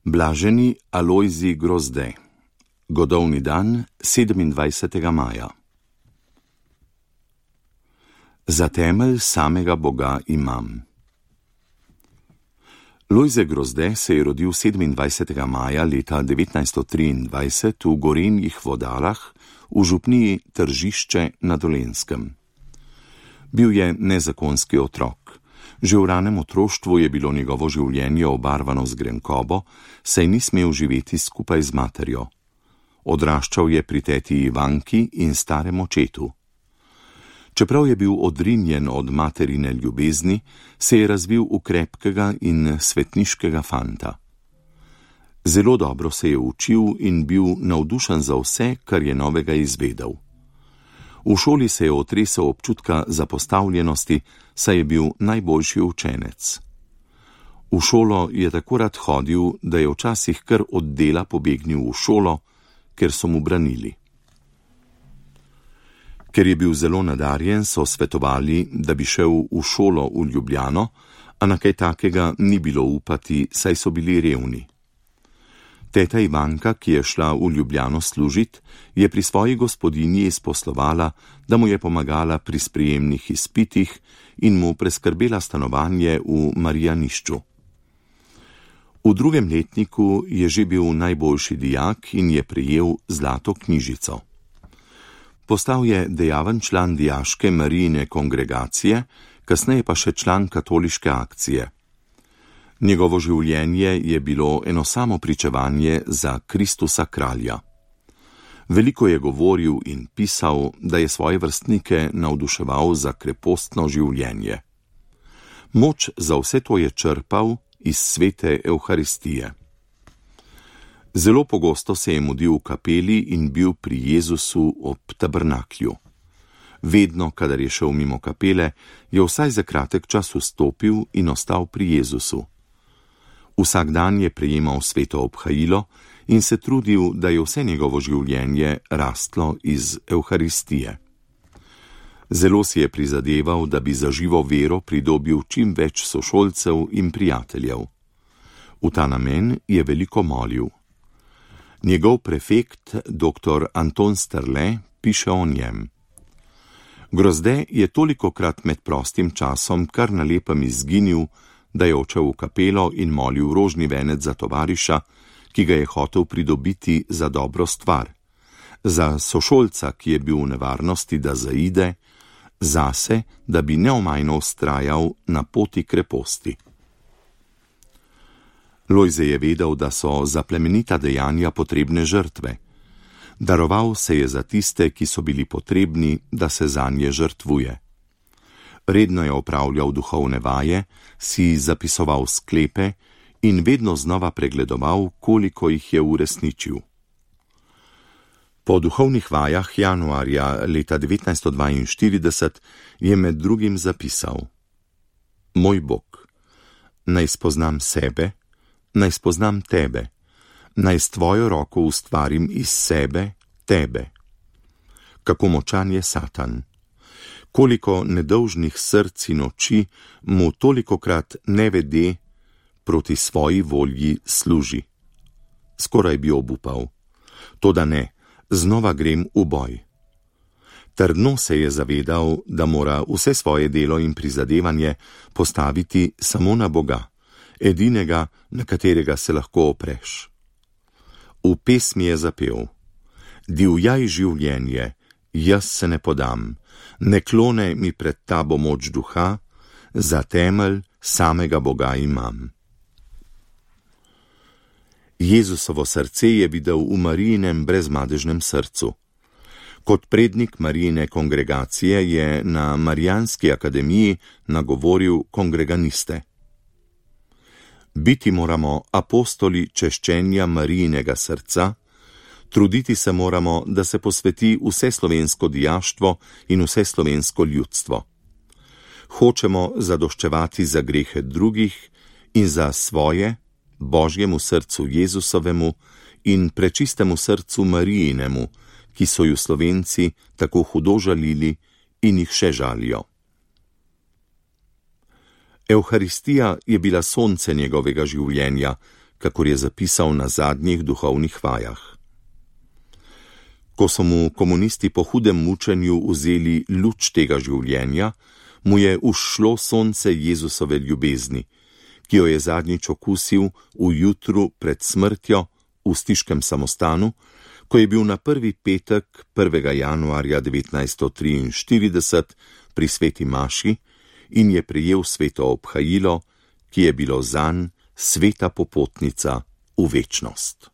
Blaženi Alojzij Grozde. Godovni dan 27. maja. Za temelj samega Boga imam. Lojze Grozde se je rodil 27. maja leta 1923 v Gorenjih Vodalah v župniji Tržišče na Dolenjskem. Bil je nezakonski otrok. Že v ranem otroštvu je bilo njegovo življenje obarvano z grenkobo, saj ni smel živeti skupaj z materjo. Odraščal je pri teti Ivanki in starem očetu. Čeprav je bil odrinjen od materine ljubezni, se je razvil v krepkega in svetniškega fanta. Zelo dobro se je učil in bil navdušen za vse, kar je novega izvedel. V šoli se je otresel občutka zapostavljenosti, saj je bil najboljši učenec. V šolo je tako rad hodil, da je včasih kar od dela pobegnil v šolo, ker so mu branili. Ker je bil zelo nadarjen, so svetovali, da bi šel v šolo v Ljubljano, a na kaj takega ni bilo upati, saj so bili revni. Teta Ivanka, ki je šla v Ljubljano služit, je pri svoji gospodinji izposlovala, da mu je pomagala pri sprejemnih izpitih in mu preskrbela stanovanje v Marijanišču. V drugem letniku je že bil najboljši dijak in je prejel zlato knjižico. Postal je dejaven član dijaške Marijine kongregacije, kasneje pa še član katoliške akcije. Njegovo življenje je bilo eno samo pričevanje za Kristusa kralja. Veliko je govoril in pisal, da je svoje vrstnike navduševal za krepostno življenje. Moč za vse to je črpal iz svete Evharistije. Zelo pogosto se je mudil v kapeli in bil pri Jezusu ob tabernaklju. Vedno, kadar je šel mimo kapele, je vsaj za kratek čas vstopil in ostal pri Jezusu. Vsak dan je prejemal sveto obhajilo in se trudil, da je vse njegovo življenje rastlo iz Evharistije. Zelo si je prizadeval, da bi za živo vero pridobil čim več sošolcev in prijateljev. V ta namen je veliko molil. Njegov prefekt, dr. Anton Strle, piše o njem. Grozde je tolikokrat med prostim časom kar na lepem izginil, da je odšel v kapelo in molil rožni venec za tovariša, ki ga je hotel pridobiti za dobro stvar, za sošolca, ki je bil v nevarnosti, da zaide, zase, da bi neomajno vztrajal na poti kreposti. Lojze je vedel, da so za plemenita dejanja potrebne žrtve. Daroval se je za tiste, ki so bili potrebni, da se zanje žrtvuje. Redno je opravljal duhovne vaje, si zapisoval sklepe in vedno znova pregledoval, koliko jih je uresničil. Po duhovnih vajah januarja leta 1942 je med drugim zapisal: Moj Bog, naj spoznam sebe, naj spoznam tebe, naj s tvojo roko ustvarim iz sebe tebe. Kako močan je Satan! Koliko nedolžnih src in oči mu tolikokrat nevede proti svoji volji služi. Skoraj bi obupal. Toda ne, znova grem v boj. Trdno se je zavedal, da mora vse svoje delo in prizadevanje postaviti samo na Boga, edinega, na katerega se lahko opreš. V pesmi je zapel: Divjaj življenje, jaz se ne podam, ne klone mi pred tabo moč duha, za temelj samega Boga imam. Jezusovo srce je videl v Marijinem brezmadežnem srcu. Kot prednik Marijine kongregacije je na Marijanski akademiji nagovoril kongreganiste. Biti moramo apostoli češčenja Marijinega srca, truditi se moramo, da se posveti vse slovensko dijaštvo in vse slovensko ljudstvo. Hočemo zadoščevati za grehe drugih in za svoje, Božjemu srcu Jezusovemu in prečistemu srcu Marijinemu, ki so ju Slovenci tako hudo žalili in jih še žalijo. Evharistija je bila sonce njegovega življenja, kakor je zapisal na zadnjih duhovnih vajah. Ko so mu komunisti po hudem mučenju vzeli luč tega življenja, mu je ušlo sonce Jezusove ljubezni, ki jo je zadnjič okusil v jutru pred smrtjo v stiškem samostanu, ko je bil na prvi petek 1. januarja 1943 pri sveti maši in je prejel sveto obhajilo, ki je bilo zanj sveta popotnica v večnost.